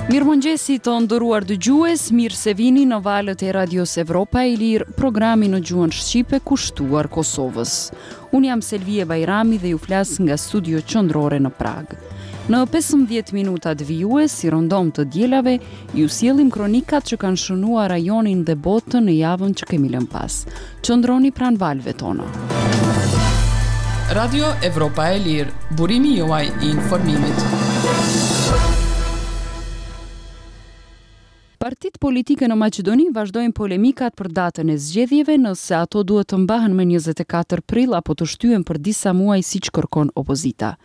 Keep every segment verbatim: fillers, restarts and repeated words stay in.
Mirëmëngjesi të nderuar dëgjues, mirë se vini në valët e Radios Evropa e Lirë, programi në gjuhën shqipe kushtuar Kosovës. Unë jam Selvije Bajrami dhe ju flas nga studio qendrore në Pragë. Në pesëmbëdhjetë minutat vijues, si rëndom të dielave, ju sjellim kronikat që kanë shënuar rajonin dhe botën në javën që kemi lënë pas. Qëndroni pranë valëve tona. Radio Evropa e Lirë, burimi juaj i informimit. Partitë politike në Maqedoni vazhdojnë polemikat për datën e zgjedhjeve, nëse ato duhet të mbahen më njëzet e katër prill apo të shtyhen për disa muaj siç kërkon opozita.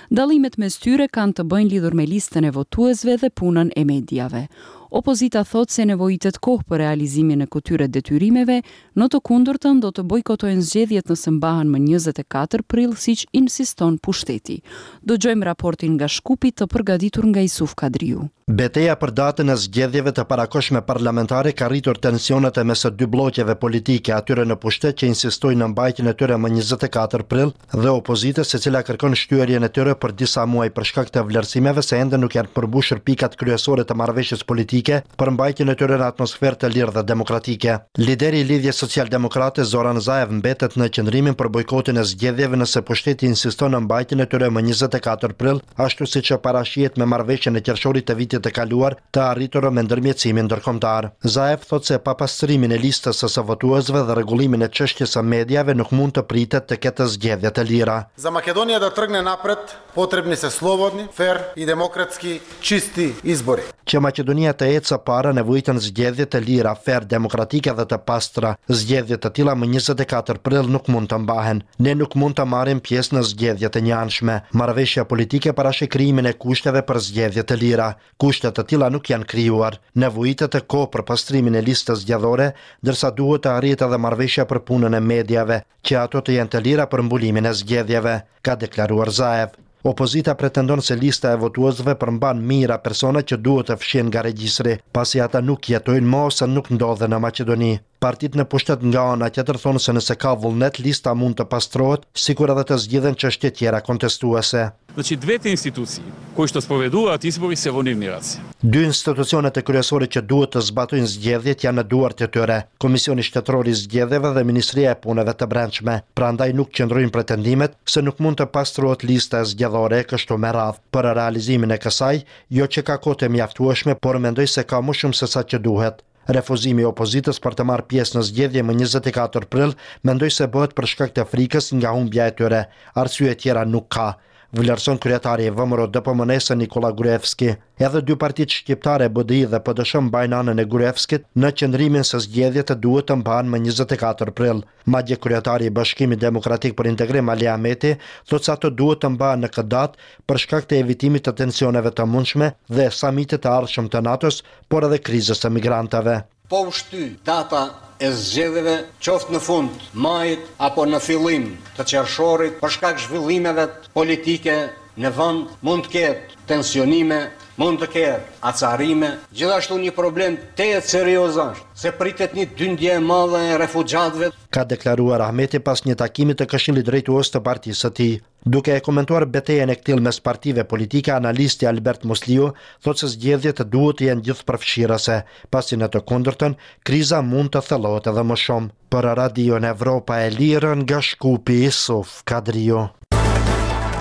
Dallimet mes tyre kanë të bëjnë lidhur me listën e votuesve dhe punën e mediave. Opozita thotë se nevojitet kohë për realizimin e këtyre detyrimeve, në të kundërtën do të bojkotojnë zgjedhjet nëse mbahen më njëzet e katër prill, siç insiston pushteti. Dëgjojmë raportin nga Shkupi të përgatitur nga Isuf Kadriu. Beteja për datën e zgjedhjeve të parakohshme parlamentare ka rritur tensionet e mes dy blloqeve politike, atyre në pushtet që insistojnë në mbajtjen e tyre më njëzet e katër prill dhe opozitës e cila kërkon shtyrjen e tyre për disa muaj për shkak të vlerësimeve se ende nuk janë përmbushur pikat kryesore të marrëveshjes politike për mbajtjen e tyre në atmosferë të lirë dhe demokratike. Lideri i Lidhjes Social-Demokrate Zoran Zaev mbetet në qëndrimin për bojkotin e zgjedhjeve nëse pushteti insiston në mbajtjen e tyre më njëzet e katër prill, ashtu siç parashihet me marrëveshjen e qershorit të vitit të kaluar të arritur me ndërmjetësimin ndërkombëtar. Zaev thotë se pa pastrimin e listës së votuesve dhe rregullimin e çështjes së mediave nuk mund të pritet të ketë zgjedhje të lira. Za Makedonија да тргне напред, потребни се слободни, фер и демократски чисти избори. Që Maqedonia të ecë para nevojiten zgjedhje të lira, fer, demokratike dhe të pastra. Zgjedhje të tilla më njëzet e katër prill nuk mund të mbahen. Ne nuk mund të marrim pjesë në zgjedhje të njëanshme. Marrëveshja politike parasheh krijimin e kushteve për zgjedhje të lira. Kushte të tilla nuk janë krijuar. Nevojitet e kohë për pastrimin e listës zgjedhore, ndërsa duhet të arrihet edhe marrëveshja për punën e mediave, që ato të jenë të lira për mbulimin e zgjedhjeve, ka deklaruar Zaev. Opozita pretendon se lista e votuesve përmban mijëra persona që duhet të fshihen nga regjistri, pasi ata nuk jetojnë më ose nuk ndodhen në Maqedoni. Partitë në pushtet nga ana tjetër thonë se nëse ka vullnet, lista mund të pastrohet, sikur edhe të zgjidhen çështje tjera kontestuese. Значи двете институции кои што спроведуваат избори се во нивни раце. Dy institucionet e kryesore që duhet të zbatojnë zgjedhjet janë në duart e tyre, Komisioni Shtetëror i Zgjedhjeve dhe Ministria e Punëve të Brendshme. Prandaj nuk qëndrojnë pretendimet se nuk mund të pastrohet lista e zgjedhore kështu me radhë. Për realizimin e kësaj, jo që ka kohë të mjaftueshme, por mendoj se ka më shumë se sa që duhet. Refuzimi i opozitës për të marrë pjesë në zgjedhje më njëzet e katër prill, mendoj se bëhet për shkak të frikës nga humbja e tyre. Arsye tjera nuk ka, vlerëson kryetari i V M R O D P M N-së Nikola Gruevski. Edhe dy partitë shqiptare B D I dhe P D S mbajnë anën e Gruevskit në qëndrimin se zgjedhjet duhet të mbahen më njëzet e katër prill. Madje kryetari i Bashkimit Demokratik për Integrim Ali Ahmeti thotë se ato duhet të mbahen në këtë datë për shkak të evitimit të tensioneve të mundshme dhe samitit të ardhshëm të NATO-s, por edhe krizës së migrantëve. Po u shty data e zgjedhjeve qoftë në fund majit apo në fillim të qershorit për shkak zhvillimeve politike në vend, mund të ketë tensionime, mund të ketë acarime. Gjithashtu një problem tejet serioz është se pritet një dyndje e madhe e refugjatëve, ka deklaruar Ahmeti pas një takimi të Këshillit Drejtues të partisë së tij. Duke e komentuar betejën e këtillë mes partive politike, analisti Albert Musliu thotë se zgjedhjet duhet të jenë gjithëpërfshirëse, pasi në të kundërtën kriza mund të thellohet edhe më shumë. Për Radion Evropa e Lirë nga Shkupi, Isuf Kadriu.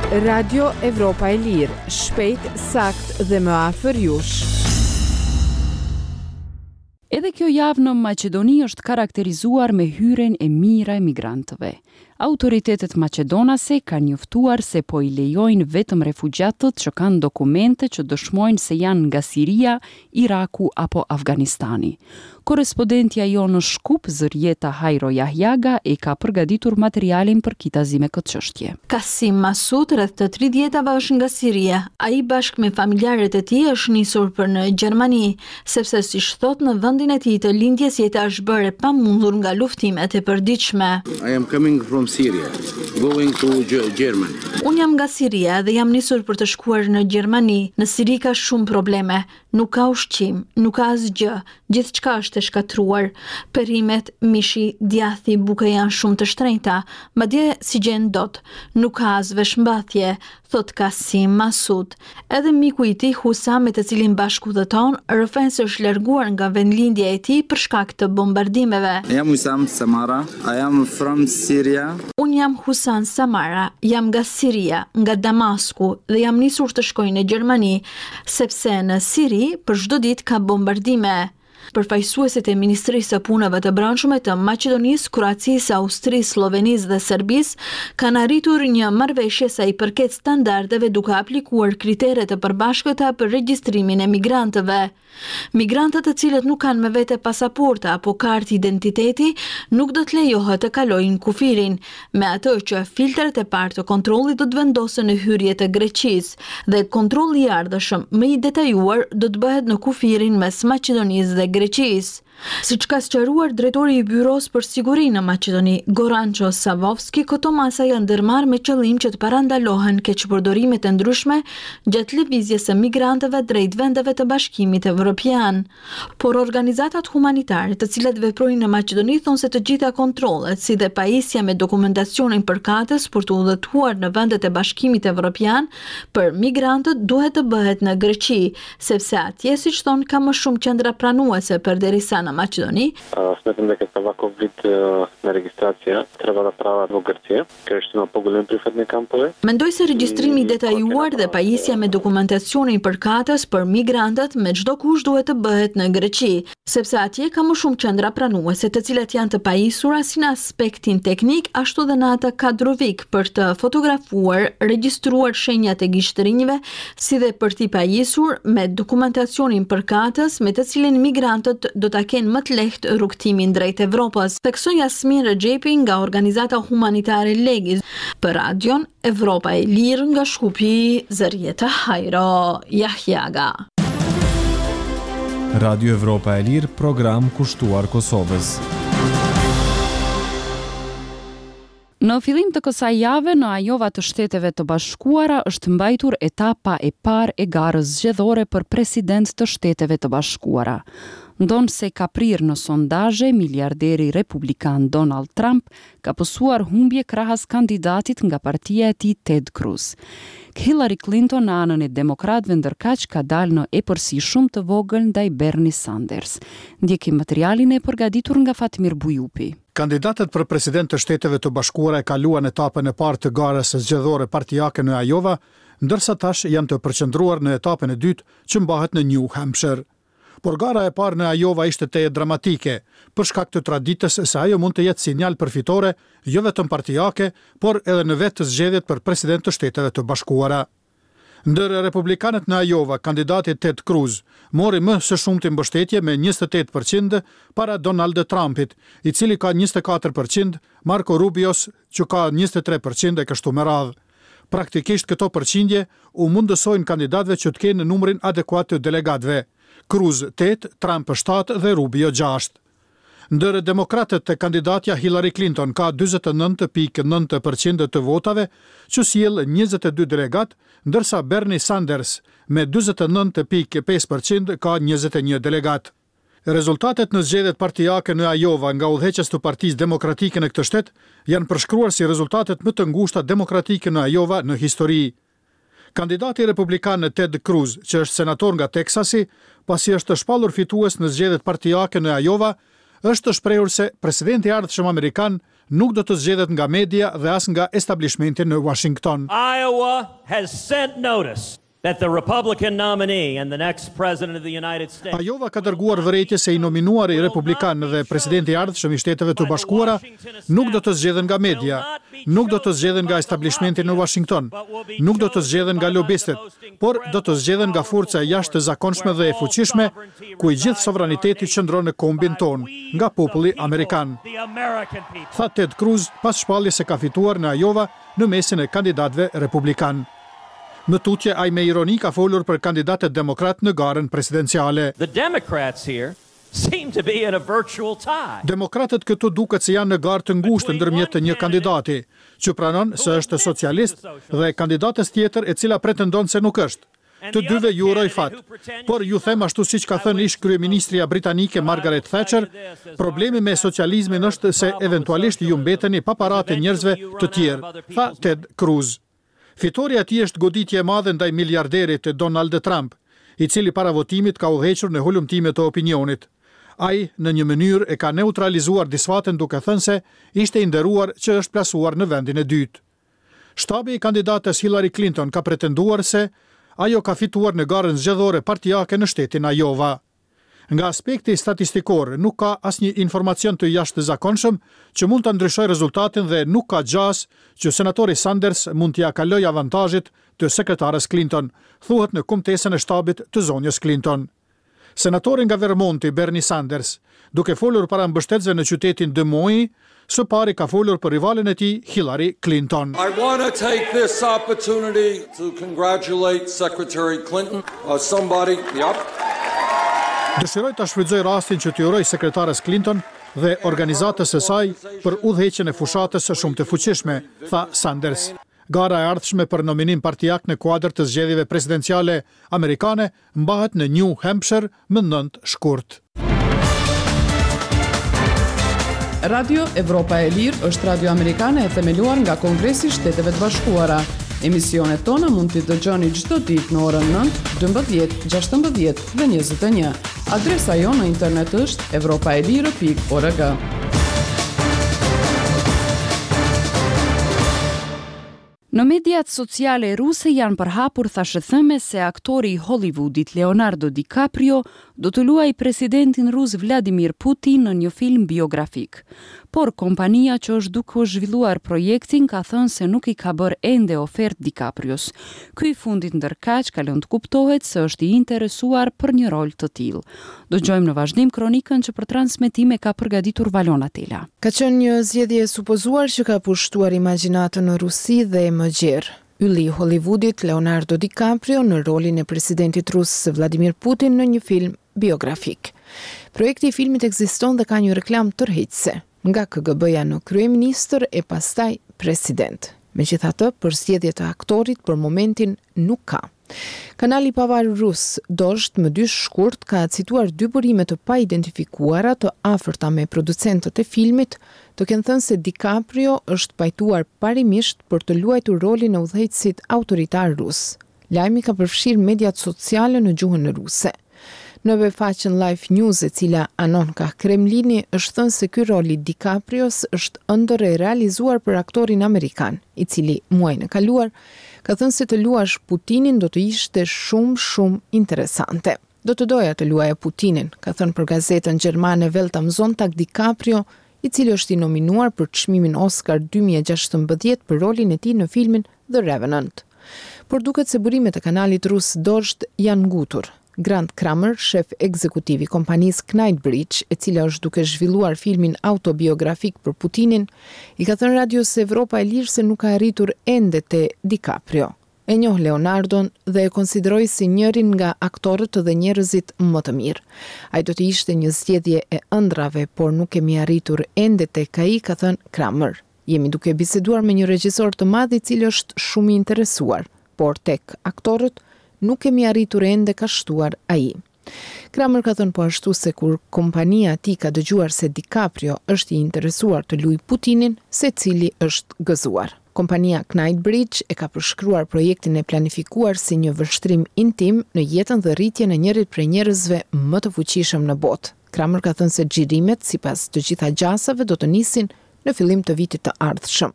Radio Evropa e Lirë, shpejt, sakt dhe më afër jush. Edhe kjo javë në Maqedoni është karakterizuar me hyrjen e mijëra emigrantëve. Autoritetet maqedonase kanë njoftuar se po i lejojnë vetëm refugjatët që kanë dokumente që dëshmojnë se janë nga Siria, Iraku apo Afganistani. Korrespondentja jonë në Shkup, Zërjeta Hajro Jahjaga, e ka përgatitur materialin për kitazi me këtë çështje. Kasim Masud, rreth të tridhjetave, është nga Siria. Ai bashkë me familjarët e tij është nisur për në Gjermani, sepse siç thot në vendin e tij të lindjes jeta është bërë e pamundur nga luftimet e përditshme. I am coming from Syria, going to Germany. Unë jam nga Siria dhe jam nisur për të shkuar në Gjermani. Në Siri ka shumë probleme. Nuk ka ushqim, nuk ka asgjë, gjithçka është e shkatërruar. Perimet, mishi, djathi, buka janë shumë të shtrenjta, madje s'i gjen dot. Nuk ka as veshmbathje, thotë Kasim Masud. Edhe miku i tij Husam, me të cilin bashkudhëton, rrëfen se është larguar nga vendlindja e tij për shkak të bombardimeve. Jam Husam Samara, I am from Syria. Unë jam Husan Samara, jam nga Siria, nga Damasku dhe jam nisur të shkoj në Gjermani, sepse në Siri për çdo ditë ka bombardime. Përfaqësuesit e Ministrisë së Punëve të Brendshme të Maqedonisë, Kroacisë, Austrisë, Sllovenisë dhe Serbisë kanë arritur një marrëveshje sa i përket standardeve duke aplikuar kritere të përbashkëta për regjistrimin e migrantëve. Migrantët të cilët nuk kanë me vete pasaporta apo kartë identiteti nuk do të lejohet të kalojnë kufirin, me atë që filtrat e parë të kontrollit do të vendosen në hyrje të Greqisë dhe kontrolli i ardhshëm më i detajuar do të bëhet në kufirin mes Maqedonisë dhe Greqisë. Siç ka sqaruar drejtori i Byros për Siguri në Maqedoni, Goranço Savovski, këto masa janë ndërmarrë me qëllim që të parandalohen keqpërdorimet e ndryshme gjatë lëvizjes së migrantëve drejt vendeve të Bashkimit Evropian. Por organizatat humanitare, të cilat veprojnë në Maqedoni, thonë se të gjitha kontrollet, si dhe pajisja me dokumentacionin përkatës për të udhëtuar në vendet e Bashkimit Evropian për migrantët duhet të bëhet në Greqi, sepse atje, siç thonë, ka më shumë qendra pranuese përderisa në Maqedoni. Sметам дека ваков вид на регистрација треба да прават во Грција, каде што има поголеми прифатни кампови. Mendoj se regjistrimi i detajuar dhe pajisja me dokumentacionin përkatës për migrantët me çdo kusht duhet të bëhet në Greqi, sepse atje ka më shumë qendra pranuese, të cilat janë të pajisura si në aspektin teknik, ashtu dhe në atë kadrovik për të fotografuar, regjistruar shenjat e gishtërinjve, si dhe për t'i pajisur me dokumentacionin përkatës me të cilin migrantët do ta kenë më të lehtë rrugëtimin drejt Evropës, theksoi Jasmin Rexhepi nga organizata humanitare Legis. Për Radion Evropa e Lirë nga Shkupi, Zërjeta Hajro Jahjaga. Radio Evropa e Lirë, program kushtuar Kosovës. Në fillim të kësaj jave në Iowa të Shteteve të Bashkuara është mbajtur etapa e parë e garës zgjedhore për president të Shteteve të Bashkuara. Ndonëse ka prirë në sondazhe, miliarderi republikan Donald Trump ka pësuar humbje krahas kandidatit nga partia e tij Ted Cruz. Hillary Clinton në anën e demokratëve ndërkaq ka dalë në epërsi shumë të vogël ndaj Bernie Sanders. Ndjekim materialin e përgatitur nga Fatmir Bujupi. Kandidatët për president të Shteteve të Bashkuara e kaluan etapën e parë të garës zgjedhore partiake në Iowa, ndërsa tash janë të përqendruar në etapën e dytë që mbahet në New Hampshire. Por gara e parë në Iowa ishte tejet dramatike, për shkak të traditës se ajo mund të jetë sinjal për fitore, jo vetëm partiake, por edhe në vetë zgjedhjet për president të Shteteve të Bashkuara. Ndër republikanët në Iowa, kandidati Ted Cruz mori më së shumti mbështetje me njëzet e tetë përqind para Donald Trumpit, i cili ka njëzet e katër përqind, Marco Rubios që ka njëzet e tre përqind e kështu me radhë. Praktikisht këto përqindje u mundësojnë kandidatëve që të kenë numrin adekuat të delegatëve. Cruz tetë, Trump shtatë dhe Rubio gjashtë. Ndër demokratët, kandidatja Hillary Clinton ka dyzet e nëntë pikë nëntë përqind të votave, që sjell njëzet e dy delegat, ndërsa Bernie Sanders me dyzet e nëntë pikë pesë përqind ka njëzet e një delegat. Rezultatet në zgjedhjet partiake në Iowa nga udhëheqës të Partisë Demokratike në këtë shtet janë përshkruar si rezultatet më të ngushta demokratike në Iowa në histori. Kandidati republikan Ted Cruz, që është senator nga Teksasi, pasi është shpallur fitues në zgjedhjet partiake në Iowa, është shprehur se presidenti i ardhshëm amerikan nuk do të zgjedhet nga media dhe as nga establishmenti në Washington. Iowa has sent notice that the Republican nominee and the next president of the United States. Iowa ka dërguar vërejtje se i nominuari republikan dhe presidenti i ardhshëm i Shteteve të Bashkuara nuk do të zgjedhen nga media, nuk do të zgjedhen nga establishmenti në Washington, nuk do të zgjedhen nga lobistët, por do të zgjedhen nga forca e jashtëzakonshme dhe e fuqishme, ku i gjithë sovraniteti qëndron në kombin ton, nga populli amerikan. Tha Ted Cruz pas shpalljes se ka fituar në Iowa në mesin e kandidatëve republikan. Më tutje, ai me ironi ka folur për kandidatët demokrat në garën presidenciale. The Democrats here seem to be in a virtual tie. Demokratët këtu duket se janë në garë të ngushtë ndërmjet të një kandidati, që pranon se është socialist, dhe kandidatës tjetër e cila pretendon se nuk është. Të dyve ju uroj fat. Por ju them ashtu siç ka thënë ish kryeministrja britanike Margaret Thatcher, problemi me socializmin është se eventualisht ju mbeteni pa paratë e njerëzve të tjerë, tha Ted Cruz. Fitorja e tij është goditje e madhe ndaj miliarderit Donald Trump, i cili para votimit ka udhëhequr në hulumtime të opinionit. Ai në një mënyrë e ka neutralizuar disfatën duke thënë se ishte i nderuar që është plasuar në vendin e dytë. Shtabi i kandidates Hillary Clinton ka pretenduar se ajo ka fituar në garën zgjedhore partiake në shtetin Iowa. Nga aspekti statistikor nuk ka asnjë informacion të jashtëzakonshëm që mund të ndryshojë rezultatin dhe nuk ka gjasë që senatori Sanders mund t'ia kalojë avantazhit të sekretares Clinton, thuhet në kumtesën e shtabit të zonjës Clinton. Senatori nga Vermonti, Bernie Sanders, duke folur para mbështetësve në qytetin Des Moines, së pari ka folur për rivalin e tij Hillary Clinton. I want to take this opportunity to congratulate Secretary Clinton, uh, somebody, yep. Dëshiroj ta shfrytëzoj rastin që t'i uroj sekretares Clinton dhe organizatës së saj për udhëheqjen e fushatës shumë të fuqishme, tha Sanders. Gara e ardhshme për nominim partiak në kuadër të zgjedhjeve presidenciale amerikane mbahet në New Hampshire më nëntë shkurt. Radio Evropa e Lirë është radio amerikane e themeluar nga Kongresi i Shteteve të Bashkuara. Emisionet tona mund t'i dëgjoni çdo ditë në orën nëntë, dymbëdhjetë, gjashtëmbëdhjetë dhe njëzet e një. Adresa jonë në internet është evropaelire pikë org. Në mediat sociale ruse janë përhapur thashethëme se aktori i Hollywoodit Leonardo DiCaprio do të luajë presidentin rus Vladimir Putin në një film biografik. Por kompania që është duke zhvilluar projektin ka thënë se nuk i ka bërë ende ofertë DiCaprios. Ky i fundit ndërkaq ka lënë të kuptohet se është i interesuar për një rol të tillë. Dëgjojmë në vazhdim kronikën që për transmetime ka përgatitur Valona Tela. Ka qenë një zgjedhje e supozuar që ka pushtuar imagjinatën në Rusi dhe më gjerë. Ylli i Hollywoodit Leonardo DiCaprio në rolin e presidentit rus Vladimir Putin në një film biografik. Projekti i filmit ekziston dhe ka një reklam tërheqëse, nga K G B-ja në kryeministër e pastaj president. Megjithatë, për zgjedhje të aktorit për momentin nuk ka. Kanali pavarur rus Dozhd më dy shkurt ka cituar dy burime të paidentifikuara të afërta me producentët e filmit, të kenë thënë se DiCaprio është pajtuar parimisht për të luajtur rolin e udhëheqësit autoritar rus. Lajmi ka përfshirë mediat sociale në gjuhën ruse. Në webfaqen Life News, e cila anon ka Kremlini, është thënë se ky rol i DiCaprios është ëndërr e realizuar për aktorin amerikan, i cili muajin e kaluar ka thënë se të luash Putinin do të ishte shumë shumë interesante. "Do të doja të luaja Putinin", ka thënë për gazetën gjermane Welt am Sonntag DiCaprio, i cili është i nominuar për çmimin Oscar dy mijë e gjashtëmbëdhjetë për rolin e tij në filmin The Revenant. Por duket se burimet e kanalit rus Dozhd janë ngutur. Grant Kramer, shef ekzekutiv i kompanisë Knightbridge, e cila është duke zhvilluar filmin autobiografik për Putinin, i ka thënë radios Evropa e Lirë se nuk ka arritur ende te DiCaprio. "E njoh Leonardon dhe e konsideroj si njërin nga aktorët dhe njerëzit më të mirë. Ai do të ishte një zgjedhje e ëndrrave, por nuk kemi arritur ende tek ai", ka thënë Kramer. "Jemi duke biseduar me një regjisor të madh i cili është shumë i interesuar, por tek aktorët nuk kemi arritur ende", ka shtuar ai. Kramer ka thënë po ashtu se kur kompania e tij ka dëgjuar se DiCaprio është i interesuar të luajë Putinin, secili është gëzuar. Kompania Knightbridge e ka përshkruar projektin e planifikuar si një vështrim intim në jetën dhe rritjen e njërit prej njerëzve më të fuqishëm në botë. Kramer ka thënë se xhirimet, sipas të gjitha gjasave, do të nisin në fillim të vitit të ardhshëm.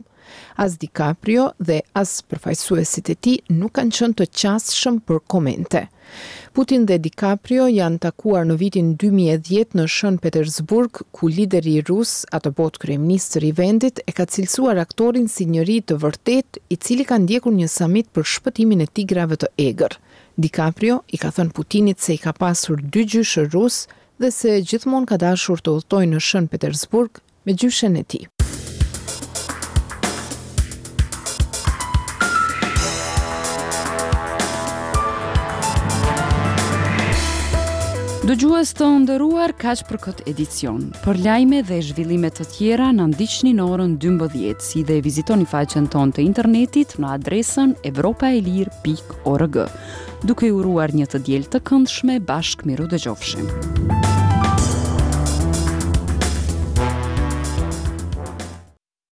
As DiCaprio dhe as përfaqësuesit e tij nuk kanë qenë të qasshëm për komente. Putin dhe DiCaprio janë takuar në vitin dy mijë e dhjetë në Shën Petersburg, ku lideri rus, atëbotë kryeministër i vendit, e ka cilësuar aktorin si njeri të vërtet, i cili ka ndjekur një samit për shpëtimin e tigrave të egër. DiCaprio i ka thënë Putinit se i ka pasur dy gjyshër rus dhe se gjithmonë ka dashur të udhtojë në Shën Petersburg me gjyshen e tij. Dëgjues të nderuar, kaq për këtë edicion. Për lajme dhe zhvillime të tjera na ndiqni në orën dymbëdhjetë, si dhe vizitoni faqen tonë të internetit në adresën evropaelire pikë org. Duke ju uruar një të diel të këndshme, bashkë mirudëgjofshim.